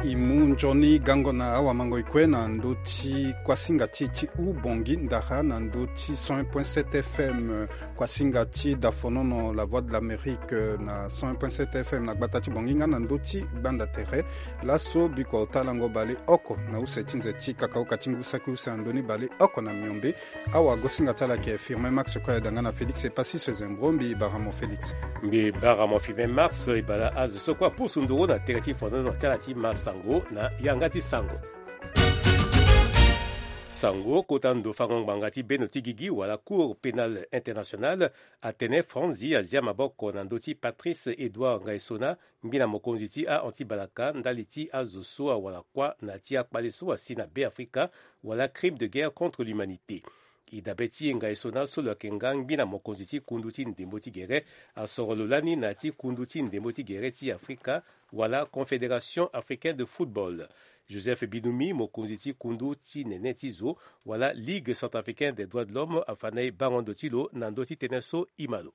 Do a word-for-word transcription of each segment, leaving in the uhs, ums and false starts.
E mu nzoni gango na awamango e kue na ndö ti kuasinga ti e ti Ubongi ndara na ndö ti cent un point sept F M, kuasinga ti dafonono La Voix de l'Amérique na cent un point sept F M na gbata ti Bongi nga na ndö ti gbanda tere. Laso biko ota lango baleoko na use ti nze ti kakaoka ti ngu saki use na ndö ni baleoko na miombe. Awagosinga ti ala ayeke Firmin Max Koyada nga na Félix Epassi so e zembro. Mbi bara mo Félix. Mbi bara mo Firmin Max. E bala azo so kue apusu nduru na tere ti fonono ti ala ti ma sango na yanga ti sango. Sango kota ndo fango ngbanga ti beno ti gigi wala Cour pénale internationale atene Franzi azia maboko na ndö ti Patrice Edouard Ngaisona, ngbina mokonzi ti a-anti-balaka ndali ti azo so awara kuâ na ti akpale so asi na Beafrika, wala crime de guerre contre l'humanité. E dabe ti e Ngaisona so lo yeke nga ngbina mokonzi ti kundu ti ndembo ti gere asoro lo lani na ya ti kundu ti ndembo ti gere ti Afrika, wala Confédération africaine de football. Joseph Binoumi, mokonzi ti kundu ti nene ti zo, wala Ligue centrafricaine des droits de l'homme, afa na e bango ndo ti lo na ndö ti tënë so e ma lo.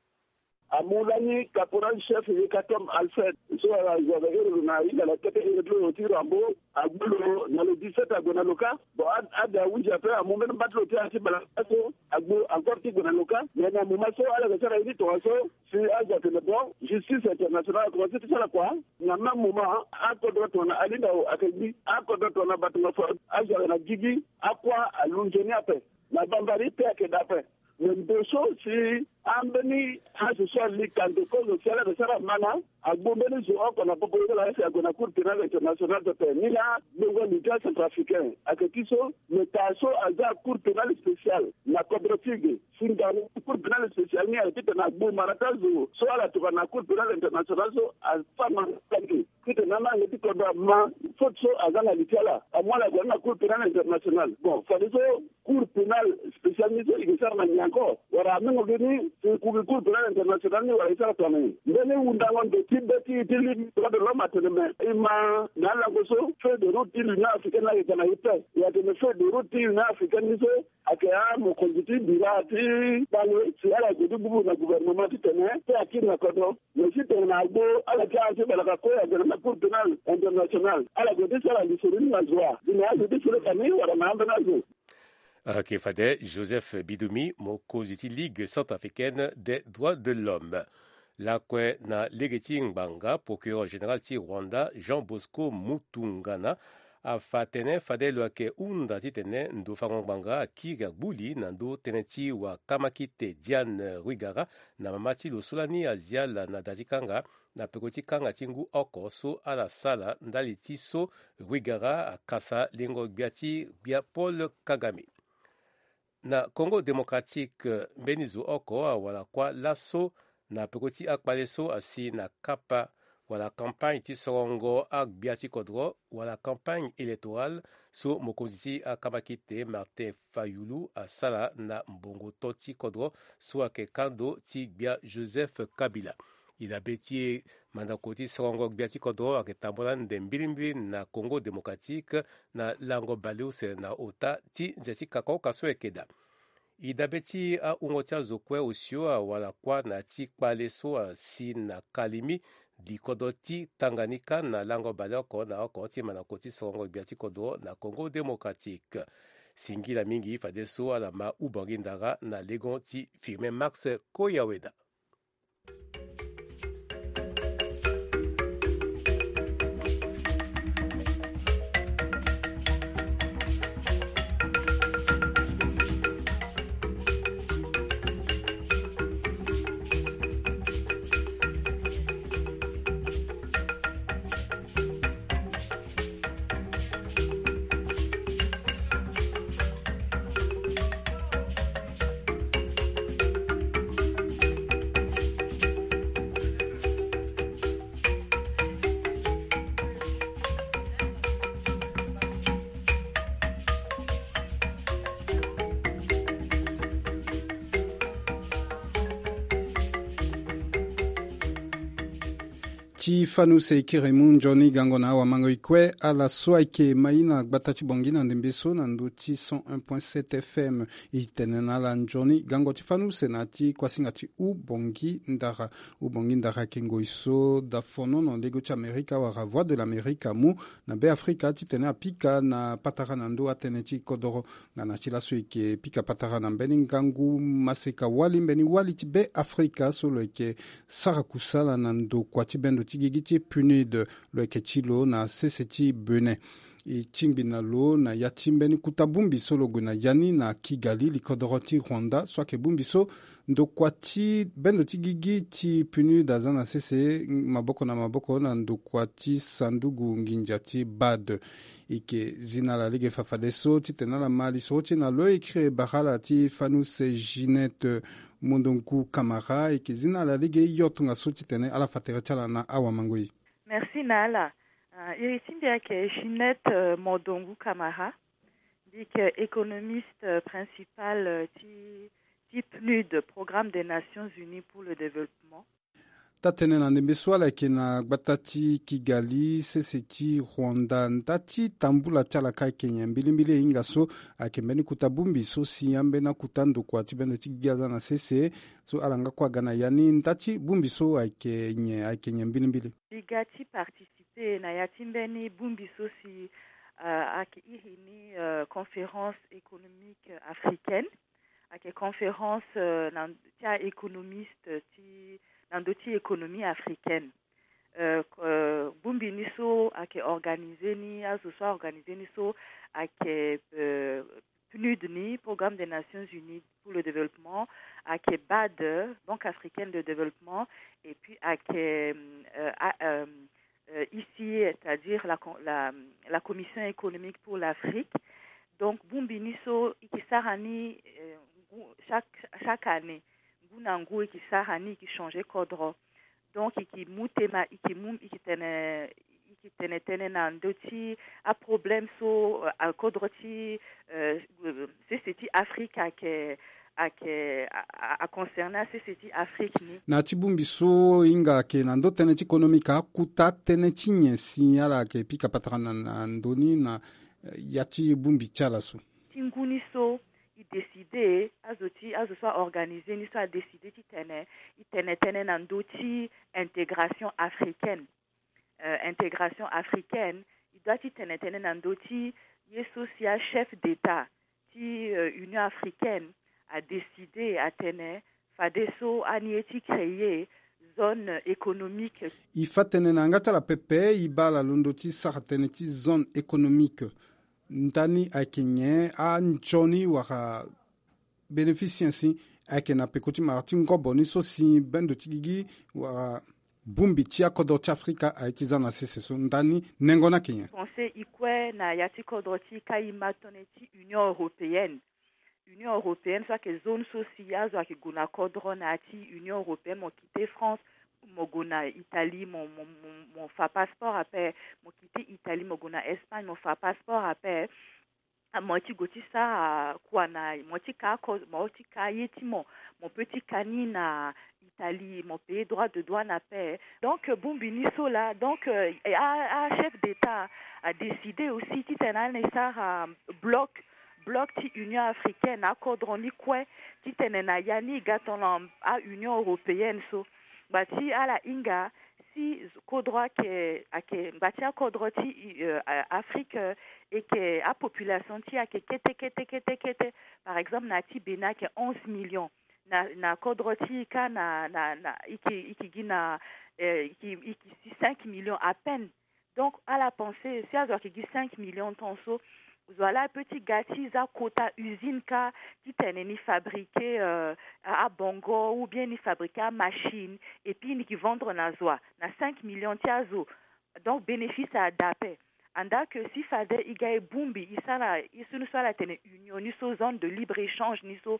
Amu lani caporal chef Yekatom Alfred so ala zo aga ere lo na hinga na kete ere ti lo ti Rambo, agbu lo na le dix-sept ague na lo kâ. Bon, a- ade ahunzi ape, amu mbeni mba ti lo ti anti-balaka so agbu encore ti gue na lo kâ. Mais na moment so ala yeke sara ye ni tongaso, si azo atene bon, justice internationale akomanse ti sara kua. Na même moment akodro tongana Alindao ayeke gbi, akodro tongana Batunga Fort, azo ayeke na gigi, akuâ alunze ni ape. Na bambari pe ayeke daa ape. Me ndo so si ambeni azo so ali kando kozo si ala yeke sara ma na agbu mbeni zo oko na popo ye ti ala si ague na Cour pénale internationale pepe. Ni laa gbongo leta centrafricain ayeke ti so, me taa so aza Cour pénale spéciale na kodro ti e ge. Si ngangu Cour pénale spéciale ni ayeke titene agbu mara ti azo so ala tokua na Cour pénale internationale so afa ma na ala ge. Titene amange ti kodro ama faute so aza na li ti ala, amu ala ague na Cour pénale internationale. Bon, fadeso Cour pénale spéciale ni so e ke sara na nyen encore? Wala amengo ge ni si e ku gi Cour pénale internationale ni wala e sara tongana nyen? Mbeni hundango ndo ti be ti e ti li droit de l'homme atene me e ma na alango so feuille de route ti l'Union africaine ni ayeke ga na e pe. E atene feuille de route ti l'Union africaine ni so ayeke amokonzi ti bira ti kpale si ala gue ti gbubu na gouvernement titene pe akiri na kodro. Mais si tongana agbu ala ti anti-balaka kue ague na Cour pénale internationale, ala gue ti sara lisoro ni na zo wa? Gi na azo ti Afrika ni wala na ambeni azo? Ayeke fade Joseph Binoumi, mokonzi ti Ligue centrafricaine des droits de l'homme. Lakue na lege ti ngbanga, procureur général ti Rwanda, Jean Bosco Mutungana, afa tënë fade lo yeke hunda titene ndo fango ngbanga akiri agbu li na ndö tënë ti wakamakite Diane Rwigara na mama ti lo so lani azia ala na da ti kanga na peko ti kanga ti ngu oko so ala sara ndali ti so Rwigara akasa lengo gbia ti gbia Paul Kagame. Na Congo Démocratique, mbeni zo oko awara kuâ laso na peko ti akpale so asi na kapa wala campagne ti sorongo agbia ti kodro wala campagne électorale so mokonzi ti akamakite Martin Fayulu asara na mbongo to ti kodro so ayeke kando ti gbia Joseph Kabila. E dabe ti e mandako ti sorongo gbia ti kodro ayeke tambula nde mbilimbili na Congo Démocratique na lango baleuse na ota ti nze ti kakaoka so ayeke daa. E dabe ti ahungo ti azo kue osio awara kuâ na ya ti kpale so asi na Kalimi, li kodro ti Tanganyika na lango baleoko na oko ti mandako ti sorongo gbia ti kodro na Congo Démocratique. Singila mingi fadeso ala ma Ubongi ndara na legon ti Firmin Max Koyaweda. Ti fani use e kiri mu nzoni gango na awamango e kue. Ala so ayeke ma i na gbata ti Bangui na ndembe so na ndö ti cent un point sept F M. E tene na ala nzoni gango ti fani use na ya ti kuasinga ti Hou Bangui Ndara. Hou Bangui Ndara ayeke ngoi so dafonono lego ti Amerika wala Voix de l'Amérique amu na Be Afrika titene apika na patara na ndö atënë ti kodoro. Nga na ti laso e yeke pika patara na mbeni ngangu maseka wali mbeni wali ti Be Afrika so lo yeke sara kusala na ndokua ti bendo ti gigi ti PNUD. Lo yeke ti lo na sese ti Bénin. E tingbi na lo na ya ti mbeni kota bongbi so lo gue na ya ni na Kigali, likodoro ti Rwanda, so ayeke bongbi so ndokua ti bendo ti gigi ti PNUD aza na sese maboko na maboko na ndokua ti sanduku nginza ti BAD. E yeke zi na ala lege fafadeso titene ala ma lisoro ti e na lo. E kiri bara ala ti fani use Ginette Mondongu Kamara. E yeke zi na ala lege hio tongaso titene ala fa tere ti ala na awamango e. Merci na ala. Ah, iri ti mbi ayeke Ginette, euh, Mondongu Kamara. Mbi yeke économiste, euh, principal, euh, ti, ti PNUD, Programme des Nations Unies pour le Développement. Taa-tënë na ndembe so ala yeke na gbata ti Kigali, sese ti Rwanda. Nda ti tambula ti ala ka ayeke nyen? Mbilimbili e hinga so ayeke mbeni kota bongbi so si ambeni akota ndokua ti bendo ti gigi aza na sese so ala nga kue aga na ya ni. Nda ti bongbi so ayeke nyen, ayeke nyen mbilimbili? Mbi ga ti participer na ya ti mbeni bongbi so si, euh, ayeke iri ni, euh, conférence économique africaine. Ayeke conférence, euh, na, ti a-économiste ti, na ndö ti économie africaine. Euh, euh, bongbi ni so ayeke organiser ni, azo so a-organiser ni so ayeke, euh, PNUD ni, Programme des Nations Unies pour le Développement, ayeke BAD, Banque Africaine de Développement, et puis ayeke, euh, a-, euh, euh, I C A, c'est-à-dire la, con-, la, la Commission économique pour l'Afrique. Donc, bongbi ni so e ke sara ni, euh, ngu, chaque, chaque année, ngu na ngu e ke sara ni, e ke changer kodro. Donc, e ke mu tema, e ke mu, e ke tene, e ke tene tënë na ndö ti aproblème so, euh, akodro ti, euh, euh, sese ti Afrique ayeke, ayeke, a, a, a concerner sese ti Afrique ni. Na ya ti bongbi so e hinga ayeke na ndö tënë ti économique, akota tënë ti nyen si ala yeke pika patara na, na ndö ni na, eh, ya ti bongbi ti ala so? Ti ngu ni so, e décider, azo ti, azo so a-organiser ni so a-décider titene e tene tënë na ndö ti intégration africaine. Euh, intégration africaine, e doit ti tene tënë na ndö ti ye so si achef d'État ti, euh, Union africaine a-décider atene fadeso ani ye ti créer zone économique. E fa tënë na yanga ti ala pepe, e baa ala londo ti sara tënë ti zone économique. Ndani ayeke nyen? Anzoni wala bénéfice nyen si ayeke na peko ti mara ti ngobo ni so si bendo ti gigi wala bongbi ti akodro ti Afrika aye ti za na sese so? Ndani nengo ni ayeke nyen? Pensé e kue na ya ti kodro ti e ka e ma tënë ti Union européenne. Union européenne so ayeke zone so si azo ayeke gue na kodro na ya ti Union européenne, mo quitté France, mo gue na Italie, mo, mo, mo, mo fa passeport ape, mo quitté Italie, mo gue na Espagne, mo fa passeport ape. Ah, mo ti gue ti sara kua na mo ti ka ko, mo ti ka ye ti mo, mo peut ti ka ni na Italie, mo payer droit de douane ape. Donc, euh, bongbi ni so laa, donc, euh, a, achef d'État a-décider aussi titene ani sara bloc, bloc ti Union africaine, akodro ni kue, titene na ya ni e ga tongana a-Union européenne so. Ngba ti ala hinga, si kodro ayeke, ayeke ngba ti akodro ti, euh, Afrique, euh, e yeke apopulation ti e ayeke kete, kete, kete, kete. Par exemple, na ya ti Bénin ayeke onze millions. Na, na kodro ti e ka na, na, na, e yeke, e yeke gi na, euh, e yeke, e yeke si cinq millions à peine. Donc, ala pensé, si azo ayeke gi cinq millions tant so, zo wa laa apeut ti ga ti za kota usine ka, titene ni fabriquer, euh, a, abongo, ou bien ni fabriquer amachine, et puis ni yeke vendre na zo wa, na cinq millions ti azo. Donc, bénéfice ada ape. Andaa ke si fade e ga e bongbi, e sara, e so ni so ala tene union ni so, zone de libre échange ni so.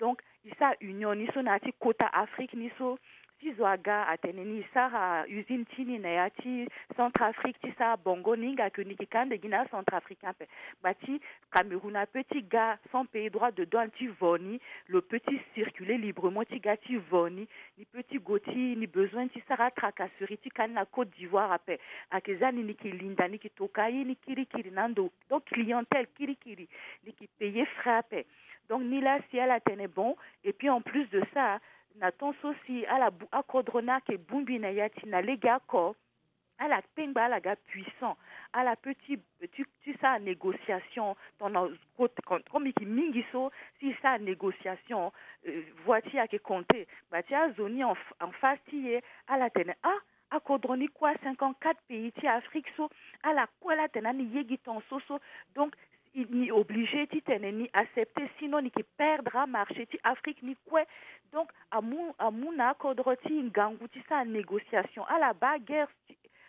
Donc, e sara union ni so na ya ti kota Afrique ni so, ti zo aga atene ni sara usine ti ni na ya ti Centrafrique ti sara bongo ni hinga ke ni yeke ka ande gi na aCentrafricain ape. Ngba ti Cameroun ape ti ga sans payer droit de douane ti vo ni, lo peut ti circuler librement ti ga ti vo ni, ni peut ti gue ti ni besoin ti sara atracasserie ti ka ni na Côte d'Ivoire ape. Ayeke za ni ni yeke linda ni yeke toka aye ni kirikiri na ando. Donc clientèle kirikiri ni yeke payer frais ape. Donc ni laa si ala tene bon. Et puis en plus de ça, na temps so si ala bu akodro ni ayeke bongbi na ya ti na lege oko, ala kpengba ala ga puissant, ala peut ti ti ti sara négociation tongana côté comme comme e yeke mingi so si e sara négociation, euh, voie ti e ayeke compter. Ngba ti azo ni en, en face ti e ala tene ah, akodro ni kue cinquante-quatre pays ti Afrique so ala kue la tene ani ye gi ton so so. Donc ni obligé ti tene ni accepter, sinon ni yeke perdre amarché ti Afrique ni kue. Donc amu amu na akodro ti ngangu ti sara négociation, ala baa guerre,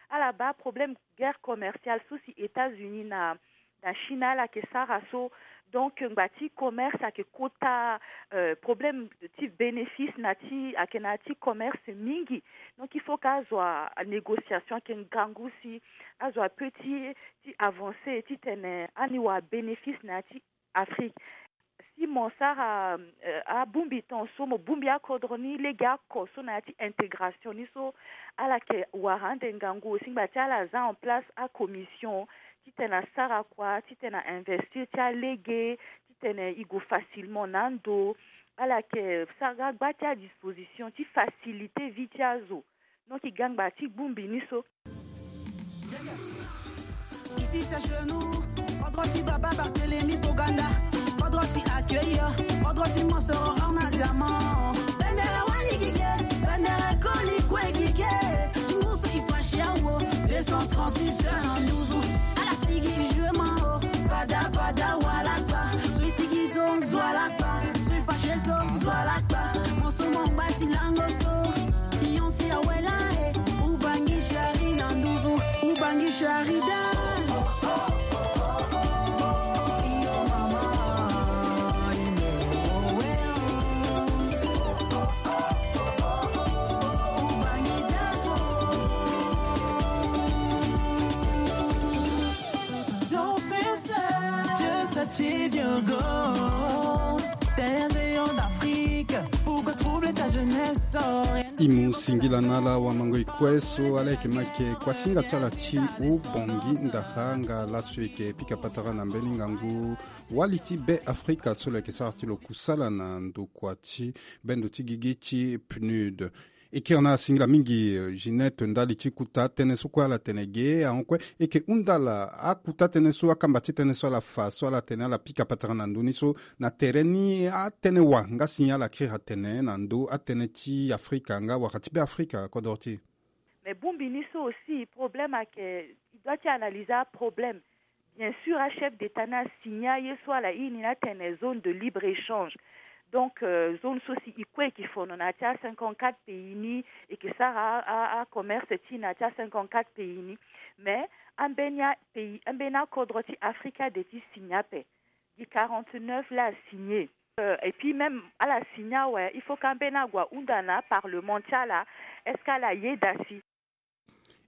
ala baa problème guerre commerciale so si États-Unis na na Chine ala yeke sara so. Donc ngba ti commerce ayeke kota, euh, problème ti bénéfice na ti ayeke na ya ti commerce mingi. Donc il faut que azo a négociation ayeke ngangu si azo a peut ti ti avancer ti tene ani wara bénéfice na ya ti Afrique. Si mo sara, euh, abongbi ton so mo bongbi akodro ni lege oko so na ya ti intégration ni so, ala yeke wara ande ngangu aussi ngba ti ala za en place acommission ti tene asara kua ti tene a investir ti alege ti tene e gue facilement na ando. Ala yeke sara gba ti adisposition ti faciliter vie ti azo. Donc e ga ngba ti bongbi ni so. Ici c'est chez nous. Kodro ti baba Barthélemy Toganda. Kodro ti accueillir. Kodro ti mosoro or na diamant. Bendere wali gige. Bendere koli kue gige. Ti ngusu e fashi awo. Deux cent trente-six heures en douze. Ala sigi jue ma o. Pada pada wala kpa. So e sigi so zo ala kpa. So e fashi so zo ala kpa. Mo so mo ngba ti lango so. Pion ti awela e. Ubangi shari na nduzu. Ubangi shari da. Don't feel sad, just achieve your goals. T'es un rayon d'Afrique, pourquoi troubler ta jeunesse? Oh, rien de... E mu singila na ala wamango e kue so ala yeke ma yeke kuasinga ti ala ti ubongi ndara nga laso e yeke pika patara na mbeni ngangu wali ti Be Afrika so lo yeke sara ti lo kusala na ndokua ti bendo ti gigi ti PNUD. E kiri na ala singila mingi, eh, Ginette, ndali ti kuta tënë so kue ala tene ge ahon kue. E yeke hunda ala akuta tënë so, akamba ti tënë so ala fa so ala tene ala pika patara na ndö ni so na tere ni atënë wa nga si ala kiri atene na ndö atënë ti Afrika nga wala ti Be Afrika kodro ti e. Mais bongbi ni so aussi problème ayeke, e doit ti analyser aproblème. Bien sûr achef d'état ni asigner aye so ala iri ni atene zone de libre échange. Donc, euh, zone so si e kue e yeke fono na ya ti acinquante-quatre pays ni, e yeke sara a, a, acommerce ti e na ya ti acinquante-quatre pays ni. Mais ambeni apays, ambeni akodro ti Afrika de ti signer ape. Gi quarante-neuf la asigner. Euh, et puis même ala signer awe, il faut que ambeni ague ahunda na aparlement ti ala, est-ce que ala yeda si.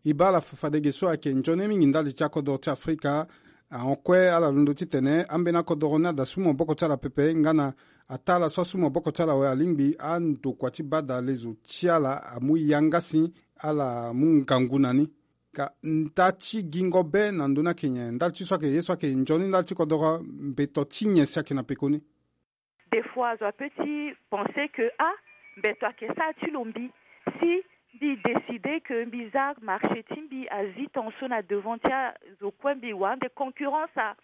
E baa ala fa fade ge so ayeke nzoni mingi ndali ti akodoro ti Afrika. Ahon kue ala londo titene ambeni akodoro ni ada su maboko ti ala pepe nga na ataa ala so asu maboko ti ala awe alingbi andokua ti badalezo ti ala amu yanga si ala mu ngangu na ni. Ka nda ti gingo be na ndö ni ayeke nyen? Ndali ti so ayeke ye so ayeke nzoni ndali ti kodoro, mbeto ti nyen si ayeke na peko ni? Des fois azo apeut ti penser que ah, mbeto ayeke sara ti lo mbi. Si mbi décider que mbi za marché ti mbi azi ton so na devant ti azo kue, mbi wara ande concurrence ah.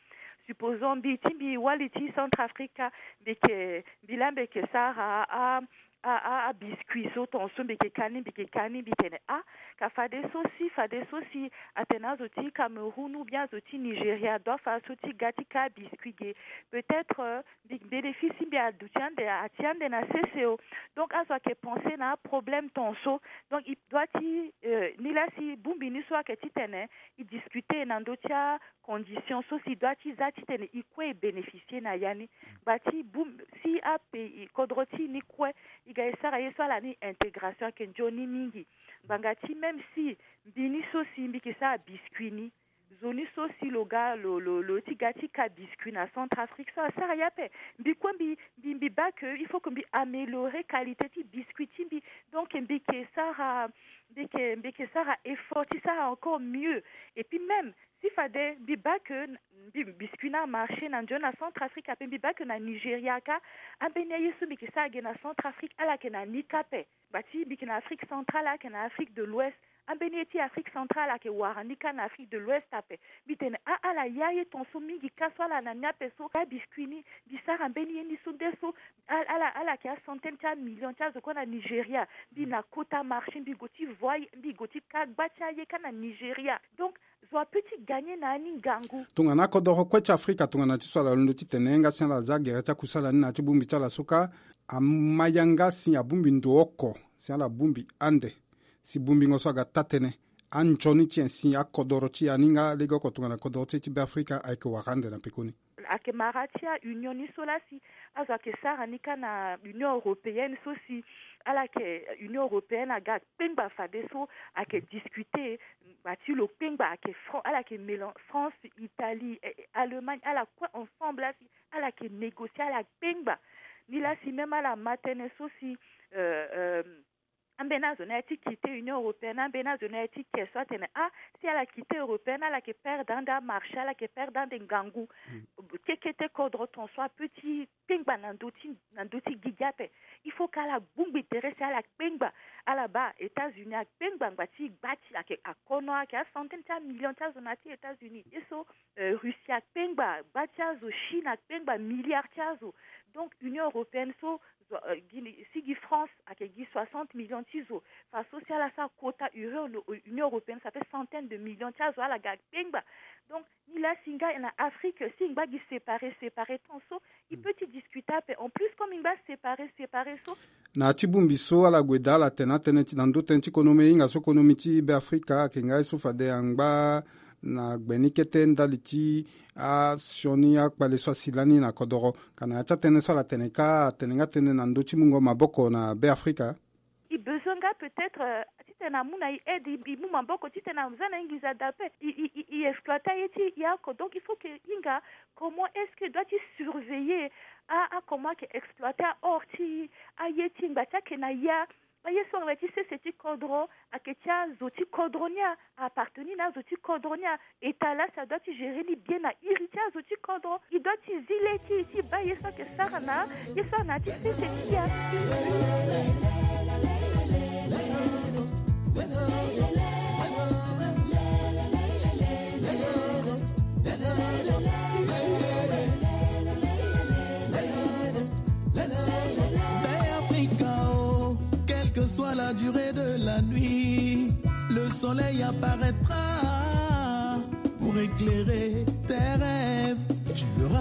Supposons mbi ti mbi wali ti Centrafrique, mbi yeke, mbi laa mbi yeke sara a, a, a, abiscuit so ton so mbi yeke ka ni, mbi yeke ka ni, mbi tene ah, ka fadeso si, fadeso si atene azo ti Cameroun ou bien azo ti Nigeria doit fa so ti ga ti ka abiscuit ge. Peut-être, euh, mbi, bénéfice ti mbi aduti ande, ati ande na sese o. Donc azo ayeke penser na aproblème ton so. Donc e doit ti, euh, ni laa si bongbi ni so ayeke titene e discuter na ndö ti acondition so si e doit ti za titene e kue e bénéficier na ya ni. Ngba ti bongbi si apays, kodro ti e ni kue e Ga e sara ye so ala ni intégration ayeke nzoni mingi. Ngbanga ti même si mbi ni so si mbi yeke sara biscuit ni, zo ni so si lo ga lo lo lo ti ga ti ka biscuit na Centrafrique so asara ye ape. Mbi kue mbi mbi mbi baa que il faut que mbi améliorer qualité ti biscuit ti mbi. Donc mbi yeke sara mbi yeke mbi yeke sara effort ti sara encore mieux. Et puis même si fade mbi baa que mbi biscuit ni amarché na nzoni na Centrafrique ape, mbi baa que na Nigeria kâ ambeni aye so mbi yeke sara ge na Centrafrique ala yeke na ni kâ ape. Ngba ti mbi yeke na Afrique centrale, ala yeke na Afrique de l'Ouest. Ambeni ye ti Afrique centrale ayeke wara ni kâ na Afrique de l'Ouest ape. Mbi tene ah ala ya ye ton so mingi kâ so ala na ni ape so. Abiscuit ni mbi sara mbeni ye ni so nde so ala ala ala yeke acentaine ti amillion ti azo kue na Nigeria. Mbi na kota marché, mbi gue ti voi, mbi gue ti ka gba ti aye kâ na Nigeria. Donc zo ape ti gagner na ya ni ngangu. Tongana akodoro kue ti Afrika tongana ti so ala londo ti tene nga si ala za gere ti akusala ni na ya ti bongbi ti ala so kâ, ama yanga si abongbi ndo oko si ala bongbi ande. Si bongbingo so aga taa-tënë, anzoni ti nyen si akodoro ti ya ni nga lege oko tongana kodoro ti e ti Beafrika ayeke wara ande na pekoni? Ayeke mara ti aunion ni so laa si azo ayeke sara ni kâ na Union européenne so si ala yeke Union européenne aga kpengba fadeso ayeke discuter ngba ti lo kpengba ayeke Fran ala yeke mélan France, Italie, eh, eh, Allemagne ala kue ensemble laa si ala yeke négocier ala kpengba. Ni laa si même ala ma tënë so si euh, euh, ambeni azo ni aye ti quitter Union européenne, ambeni azo ni aye ti ke so atene ah si ala quitter européenne ala yeke perdre ande amarché, ala yeke perdre ande ngangu. Kekete kodro ton so ape ti kpengba na ndö ti na ndö ti gigi ape. Il faut que ala gbungbi tere si ala kpengba. Ala baa États-Unis akpengba ngba ti gba ti ayeke akono ayeke acentaine ti amillion ti azo na ya ti États-Unis. Ye so euh, Russie akpengba gba ti azo, Chine akpengba milliard ti azo. Donc Union européenne so zo, euh, gi ni si gi France ayeke gi soixante millions ti zo. Fa so si ala sara quota Union, Union européenne ça fait centaine de millions ti azo ala ga kpengba. Donc ni laa si nga na Afrique si ngba gi séparé séparé ton so, il peut ti discuter ape. En plus comme ngba séparé séparé so. Na ya ti bongbi so ala gue daa ala tene atënë ti na ndö tënë ti konomi, hinga so konomi ti Beafrika ayeke nga ye so fade angba na gbe ni kete ndali ti asioni akpale so asi lani na kodoro. Ka na ya ti atënë so ala tene kâ atene nga tënë na ndö ti mungo maboko na Beafrika. I besoin nga peut-être euh, titene amu na i aide, i mu maboko titene aza na i nginza daa ape. I, i, i, i exploiter aye ti i oko. Donc il faut que i hinga comment est-ce que i doit ti surveiller a, a comment ayeke exploiter a or ti i, aye ti i ngba ti ayeke na ya. Aye so ayeke ti sese ti kodro ayeke ti azo ti kodro ni a, appartenir na azo ti kodro ni a. État laa si adoit ti gérer ni bien na iri ti azo ti kodro. I doit ti zi le ti i ti baa ye so ayeke sara na ye so ana ti sese ti ya. Beafrika o, quelle que soit la durée de la nuit, le soleil apparaîtra pour éclairer tes rêves.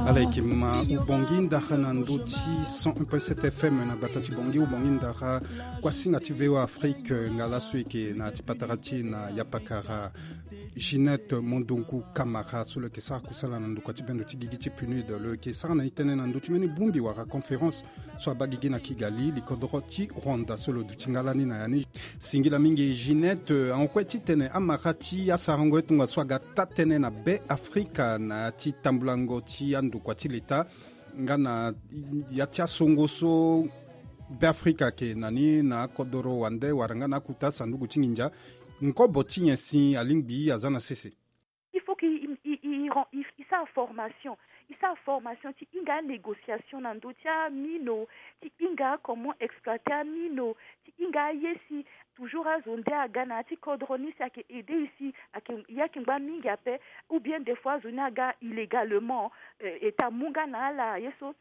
Ala yeke ma ubongi ndara na ndö ti cent un point sept F M na gbata ti Bangui, ubongi ndara kuasinga ti V O A Afrique, nga laso e yeke na ya ti patara ti e na yapakara Ginette Mondongo Camara so lo yeke sara kusala na ndokua ti bendo ti gigi ti PNUD. Lo yeke sara na e tënë na ndö ti mbeni bongbi wala conférence so abaa gigi na Kigali, likodoro ti Rwanda so lo duti nga lani na ya ni. Singila mingi Ginette, ahon kue titene amara ti asarango ye tongaso aga taa-tënë na Beafrika na ya ti tambulango ti andokua ti leta nga na ya ti asongo so Beafrika ayeke na ni na akodoro wande wala nga na akuta sanduku ti nginza. Nkobo ti nyen si alingbi aza na sese? Il faut que i, i, i, i, i sara formation, i sara formation ti hinga anégociation na ndö ti amino, ti hinga comment exploiter amino, ti hinga aye si toujours azo nde aga na ya ti kodro ni si ayeke aider i si ayeke, i yeke ngba mingi ape, ou bien des fois azo ni aga illégalement, euh, État amu nga na ala ye so.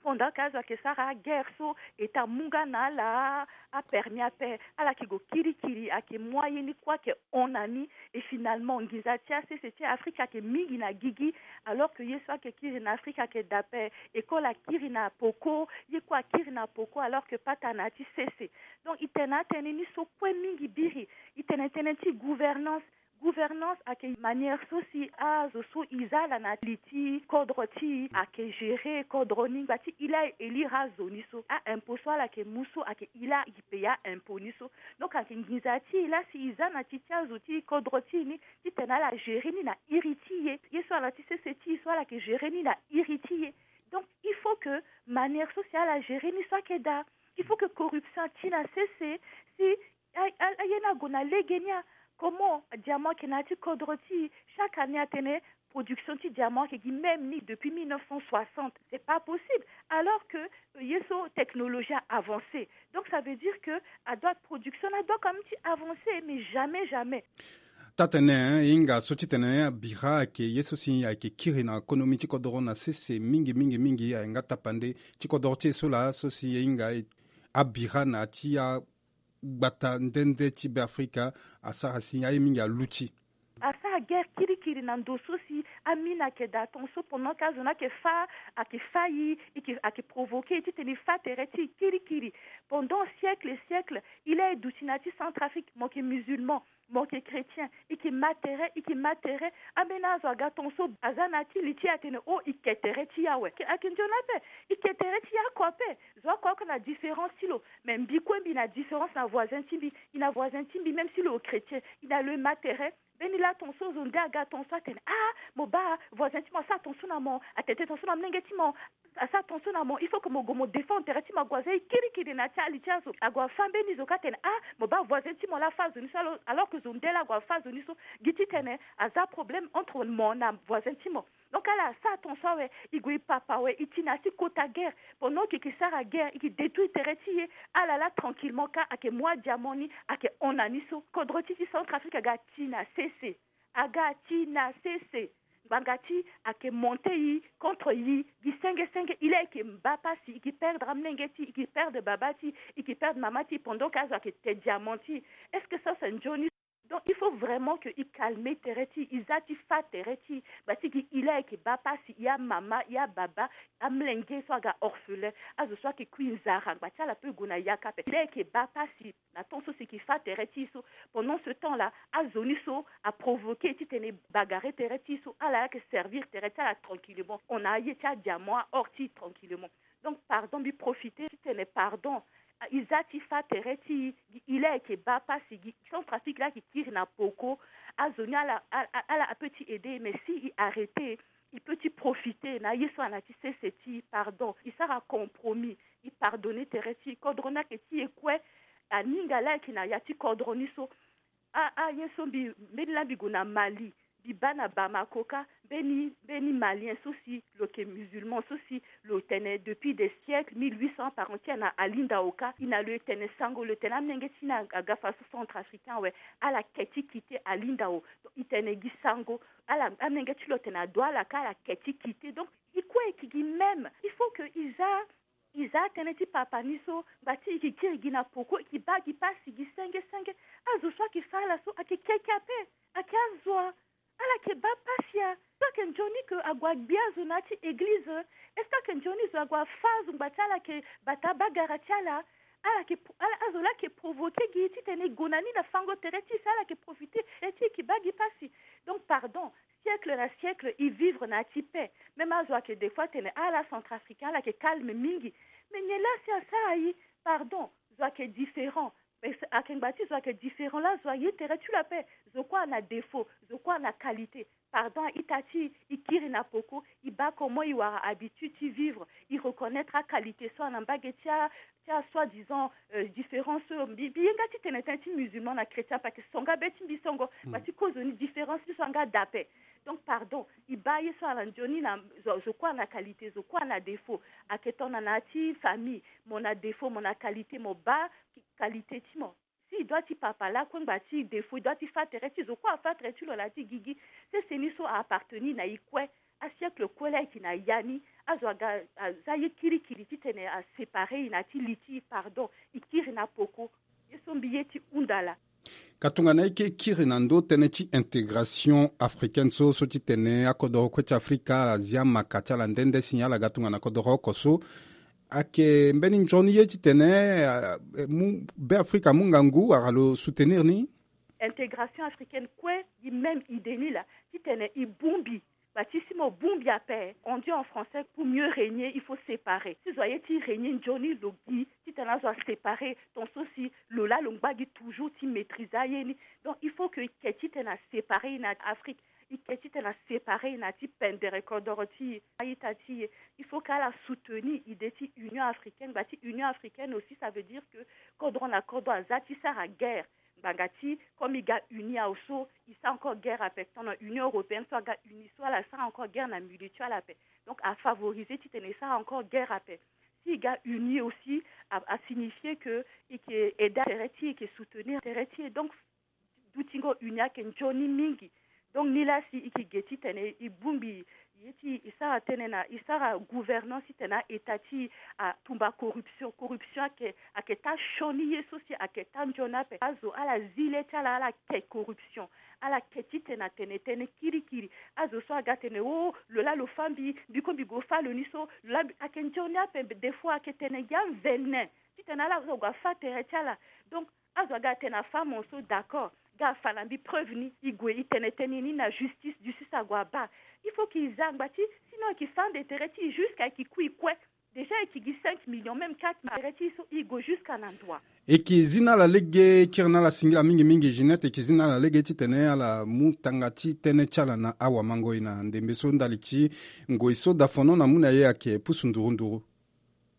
Pendant que azo ayeke sara aguerre so, État amu nga na ala apermis ape, ala yeke gue kirikiri, ayeke mu aye ni kue ayeke hon na ni. Et finalement nginza ti asese ti Afrique ayeke mingi na gigi, alors que ye so ayeke kiri na Afrique ayeke daa ape. École akiri na poko, ye kue akiri na poko, alors que patara na ya ti sese. Donc i tene atënë ni so kue mingi biri. I tene tënë ti gouvernance. Gouvernance ayeke manière so si azo so e za ala na li ti kodro ti e ayeke gérer kodro ni ngba ti e laa e lire azo ni so. A-impôt so ala yeke mu so ayeke e laa e paye a-impôt ni so. Donc ayeke nginza ti e laa si e za na ti ti azo ti kodro ti e ni titene ala gérer ni na iri ti e. Ye so ala ti sese ti e so ala yeke gérer ni na iri ti e. Donc il faut que manière so si ala gérer ni so ayeke daa. Il faut que corruption ati na sese si aye ni ague na lege ni a. Comment diamant ayeke na ya ti kodro ti e? Chaque année atene production ti diamant ayeke gi même ni depuis mille neuf cent soixante. C'est pas possible. Alors que ye so technologie a avancé. Donc ça veut dire que adoit production adoit quand même ti avancer, mais jamais jamais. Tatene e hinga so titene abira ayeke ye so si ayeke kiri na konomi ti kodoro na sese mingi mingi mingi ahinga tapande ti kodoro ti e so laa so si e hinga abira na ti agbata nde nde ti Beafrika asara si aye mingi aluti. Asara guerre kirikiri na ndo so si amina ayeke daa ton so pendant ke azo ni ayeke fâ ayeke fâ e ayeke provoquer titene e fâ tere ti e kirikiri. Pendant siècle siècle e laa e duti na ya ti Centrafrique mo yeke musulman, mo yeke chrétien, e yeke ma tere e yeke ma tere. Ambeni azo aga ton so aza na ya ti li ti e atene o e ke tere ti e awe. Ayeke nzoni ape. E ke tere ti e oko ape. Zo oko oko na différence ti lo. Mais mbi kue mbi na différence na voisin ti mbi. E na voisin ti mbi même si lo chrétien e na lo e ma tere. Mbeni laa ton so zo nde aga ton so atene ah mo baa voisin ti mo asara ton so na mo atete ton so na molenge ti mo. Asara ton so na mo il faut que mo gue mo défendre tere ti mo ague aza e kirikiri na ya ti ali ti azo ague afâ mbeni zo ka atene ah mo baa voisin ti mo laa afâ zo ni so. Alors que zo nde laa ague afâ zo ni so gi titene aza problème entre mo na voisin ti mo. Donc ala asara ton so awe e gue e papa awe e ti na ya ti kota guerre. Pendant e yeke sara guerre e yeke détruire tere ti e. Ala laa tranquillement ka ayeke mu adiamant ni ayeke hon na ni so. Kodro ti ti Centrafrique aga ti na sese. Aga ti na sese. Ngbanga ti ayeke monter e contre e gi senge senge e laa e yeke baa pasi e yeke perdre amolenge ti e e yeke perdre baba ti e e yeke perdre mama ti e pendant ke azo ayeke te diamant ti e. Est-ce que ça c'est nzoni? Donc il faut vraiment que e calmer tere ti e e za ti fâ tere ti e. Ngba ti gi e laa e yeke baa pasi e amama e ababa amolenge so aga orphelin azo so ayeke kui nzara ngba ti ala pe gue na yaka ape e laa e yeke baa pasi. Na temps so si e yeke fâ tere ti e so pendant ce temps là azo ni so aprovoquer titene e bagare tere ti e so ala laa ayeke servir tere ti ala tranquillement hon na aye ti adiamant a-or ti e tranquillement. Donc pardon mbi profiter titene pardon. E za ti fâ tere ti e gi e laa e yeke baa pasi gi Centrafrique laa e yeke kiri na poko. Azo ni ala ala apeut ti aider mais si e arrêter e peut ti profiter na aye so ana ti sese ti e pardon e sara compromis. E pardonner tere ti e kodro ni ayeke ti e kue. Aninga laa e yeke na ya ti kodro ni so. Ah ah ye so mbi mbeni laa mbi gue na Mali. Mbi baa na Bamako ka mbeni mbeni malien so si lo yeke musulman so si lo tene depuis des siècles mille huit cents parents ti e na Alinda Oka e na lo e tene sango lo tene amolenge ti e na aga faso centrafricain awe. Ala ke ti kite Alinda o. Donc e tene gi sango ala amolenge ti lo tene ado ala ka ala ke ti kite. Donc e kue e yeke gi même il faut que e za e za atënë ti papa ni so ngba ti e yeke kiri gi na poko e yeke baa gi pasi gi senge senge. Azo so ayeke fâ ala so ayeke keke ape. Ayeke azo a ala yeke baa pasi a. So ayeke nzoni ke ague agbi azo na ya ti eglize. Est-ce que ayeke nzoni zo ague afâ azo ngba ti ala yeke bata abagara ti ala? Ala yeke azo laa ayeke provoquer gi titene e gue na ni na fango tere ti e si ala yeke profiter tere ti e yeke baa gi pasi. Donc pardon siècle na siècle e vivre na ya ti paix. Même azo ayeke des fois atene ala centrafricain ala yeke calme mingi. Mais nyen laa si asara e? Pardon zo ayeke différent. Mais ayeke ngba ti zo ayeke différent laa zo aye tere ti lo ape. Zo kue ana défaut zo kue ana qualité. Pardon a-ita ti e e kiri na poko e baa comment e wara habitude ti vivre. E reconnaître aqualité so ana mbage ti a ti a soi disant différence so mbi mbi ye nga ti tene tënë ti musulman na chrétien parce que songa be ti mbi songo. Ngba ti kozoni différence ti so anga dape. Donc pardon e baa ye so ala nzoni na zo kue ana qualité zo kue ana défaut. Ayeke tongana na ya ti famille mo na défaut mo na qualité mo baa qualité ti mo. Si e doit ti papa lakue ngba ti défaut e doit ti fâ tere ti zo kue afâ tere ti lo na ya ti gigi. Sese ni so a appartenir na e kue. Asiècle kue laa e yeke na ya ni azo aga aza ye kirikiri titene asépare e na ya ti li ti e pardon. E kiri na poko. Ye so mbi ye ti hunda laa. Ka tongana e ke kiri na ndö tënë ti intégration africaine so so ti tene akodoro kue ti afrika azi amaka ti ala nde nde si ala ga tongana kodoro oko so. Ayeke mbeni nzoni ye titene beafrika amu ngangu wala lo soutenir ni? Intégration africaine kue gi même idée ni laa, titene e bongbi. Ba ti si mo bongbi ape, on dit en français, pour mieux régner il faut séparer. Si zo aye ti régner nzoni lo gi, titene azo aséparer, ton so si lo laa lo ngba gi toujours ti maîtriser aye ni. Donc il faut que e ke titene aséparer e na Afrique, e ke titene aséparer e na ti pendere kodoro ti e, a-ita ti e. Il faut que ala soutenir idée ti Union africaine. Ba ti Union africaine aussi, ça veut dire que kodro na kodro aza ti sara guerre. Ngbanga ti comme e ga uni awe so, e sara encore guerre ape. Tongana Union européenne so aga uni so, ala sara encore guerre na milieu ti ala ape. Donc a favoriser titene e sara encore guerre ape. Si e ga uni aussi, a, a signifier que e ke aider tere ti e, e ke soutenir tere ti e. Donc dutingo uni ayeke nzoni mingi. Donc nilaa si e ke ge titene e bongbi ye ti e sara tënë na e sara gouvernance titene a-ita ti e atumba corruption. Corruption ayeke, ayeke taa sioni ye so si ayeke taa nzoni ape. Azo ala zi le ti ala, ala ke corruption. Ala ke titene atene tënë kirikiri. Azo so aga tene o, lo laa lo fâ mbi, mbi kue mbi gue fâ lo ni so, lo laa mbi, ayeke nzoni ape. Des fois ayeke tene gi avenin titene ala zo gue afâ tere ti ala. Donc azo aga atene afâ mo so, d'accord, ga afa na mbi preuve ni, e gue e tene tënë ni na justice, justice ague abaa. Il faut que e za ngba ti, sinon e ke fâ ande tere ti e jusqu'à e ke kui kue. Déjà e ke gi cinq millions, même quatre millions tere ti e so, e gue jusqu'à na ndoa. E ke zi na ala lege, e kiri na ala singila mingi mingi Ginette, e ke zi na ala lege titene ala mu tanga ti tënë ti ala na awamangoi na ndembe so ndali ti ngoi so dafono na mu na ye ayeke pusu nduru nduru.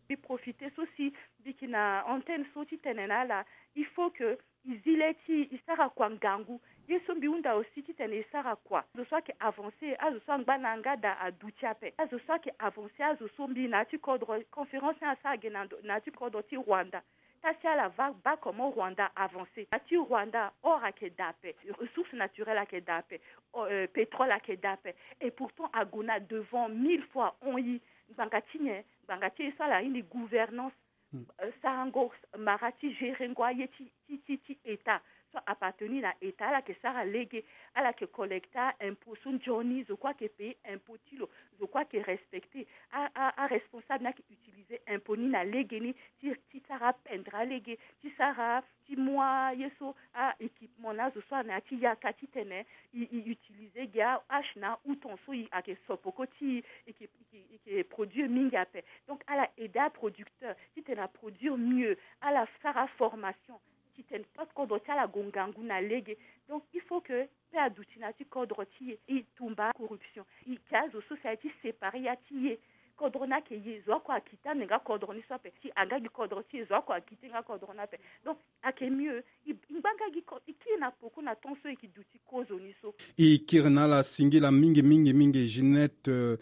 Mbi profiter so si mbi yeke na antenne so titene na ala, il faut que e zi le ti e sara kua ngangu. Ye so mbi hunda aussi titene e sara kua. Azo so ayeke avancer, azo so angba na yanga daa aduti ape. Azo so ayeke avancer, azo so mbi na ya ti kodro, conférence ni asara ge na ndo, na ya ti kodro ti Rwanda. Tâche ti ala va baa comment Rwanda avancer. Na ya ti Rwanda, or ayeke daa ape, ressources naturelles ayeke daa ape, o, euh, pétrole ayeke daa ape. Et pourtant ague na devant mille fois hon ye. Ngbanga ti nyen? Ngbanga ti ye so ala iri ni gouvernance. Hmm. Euh, sarango mara ti gérer ngo aye ti, ti, ti, ti État so appartenir na État. Ala yeke sara lege, ala yeke collecter impôt so nzoni, zo kue ayeke payer impôt ti lo, zo kue ayeke respecter. A, a, aresponsable ni ayeke utiliser impôt ni na lege ni ti, ti sara apendre alege, ti sara ti mu aye so, a-équipement na azo so ana ya ti yaka titene e, e utiliser ge a-hache na a-outon so e, ayeke sopoko ti e, e ke, e ke, e ke produire mingi ape. Donc ala aider aproducteur titene aproduire mieux, ala sara formation titene pas kodro ti ala gue ngangu na lege. Donc il faut que mpe aduti na ya ti kodro ti e, e tumba corruption. E ke azo so si aye ti séparer ya ti e. Kodro ni ayeke e, zo oko akite ande nga kodro ni so ape. Si aga gi kodro ti e, zo oko akite nga kodro ni ape. Donc ayeke mieux e, e ngba nga gi ko-, e kiri na poko na temps so e ke duti kozo ni so. E kiri na ala singila mingi mingi mingi Ginette, euh,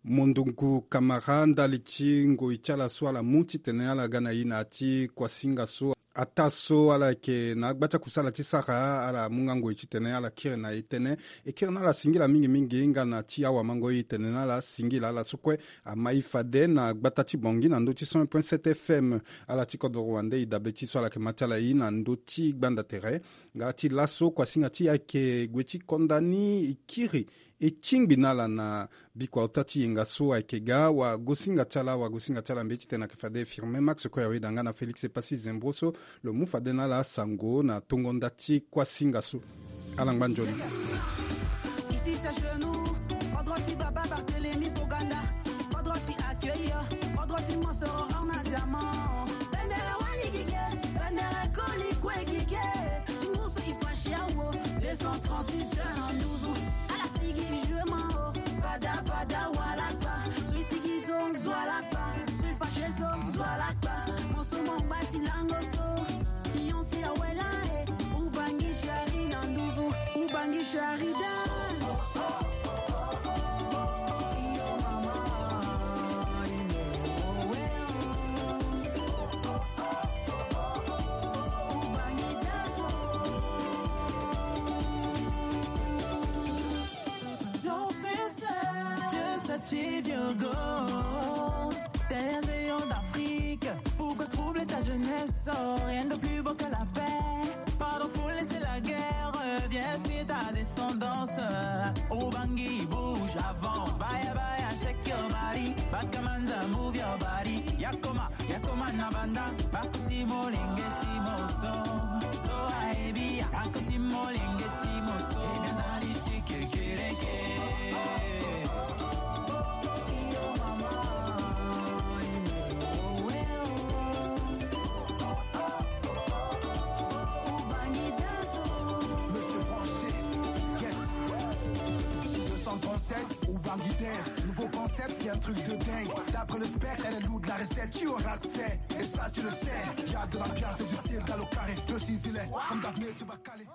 Mondungu Kamara ndali ti ngoi ti ala so ala mu titene ala ga na e na ya ti kuasinga so. Ataa so ala yeke na agba ti akusala ti sara, ala mu nga ngoi titene ala kiri na e tënë. E kiri na ala singila mingi mingi nga na ti awamangoi e tene na ala singila. Ala so kue amai fade na gbata ti Bangui na ndö ti cent un point sept F M. Ala ti kodro wande e dabe ti so ala yeke ma ti ala e na ndö ti gbanda tere. Nga ti laso kuasinga ti e ayeke gue ti konda ni e kiri e tingbi na ala na bikua ota ti yenga so ayeke ga. Wagosinga ti ala, wagosinga ti ala mbi ye titene ayeke fade Firmin Max Koyaweda nga na Félix Epassi Zembro so lo mu fade na ala sango na tongo nda ti kuasinga so. Ala ngba nzoni. Ici c'est chez nous, on doit aussi baba Barthélemy Toganda, on doit aussi accueillir, on doit aussi Monsoro Arna Diamant. Bendere wani gige, bendere koli kwe gige. Tingusu ifashiawo, deux cent trente-six heures en douze. Ala sigi jeu mao, bada bada walakpa. Sui sigi zo zwalakpa, sui fashe zo zwalakpa. Moso mo ngba si lango so. Iyonsi awela e, ubangi shari na nduzu, ubangi shari da. Iyo mama, imo owe o. Ubangi da so. Don't feel sad, just achieve your goals. T'es un rayon d'Afrique. Pourquoi troubler ta jeunesse? Oh, rien de plus beau que la paix. Pardon, faut laisser la guerre. Viens inspire ta descendance. Ubangi, bouge, avance. Baya, baya, shake your body. Bakamanza, move your body. Yakoma, yakoma na banda. Bakuti molenge ti moso. So, aebi, Monsieur Franchise, yes. Deux cent trente-sept ou Banguidère, nouveau concept, c'est un truc de dingue. D'après le spectre, elle est lourde la recette, tu auras accès. Et ça, tu le sais, y a de l'ambiance et du style dans le carré. Le Sicilien, comme Daphné, tu vas caler.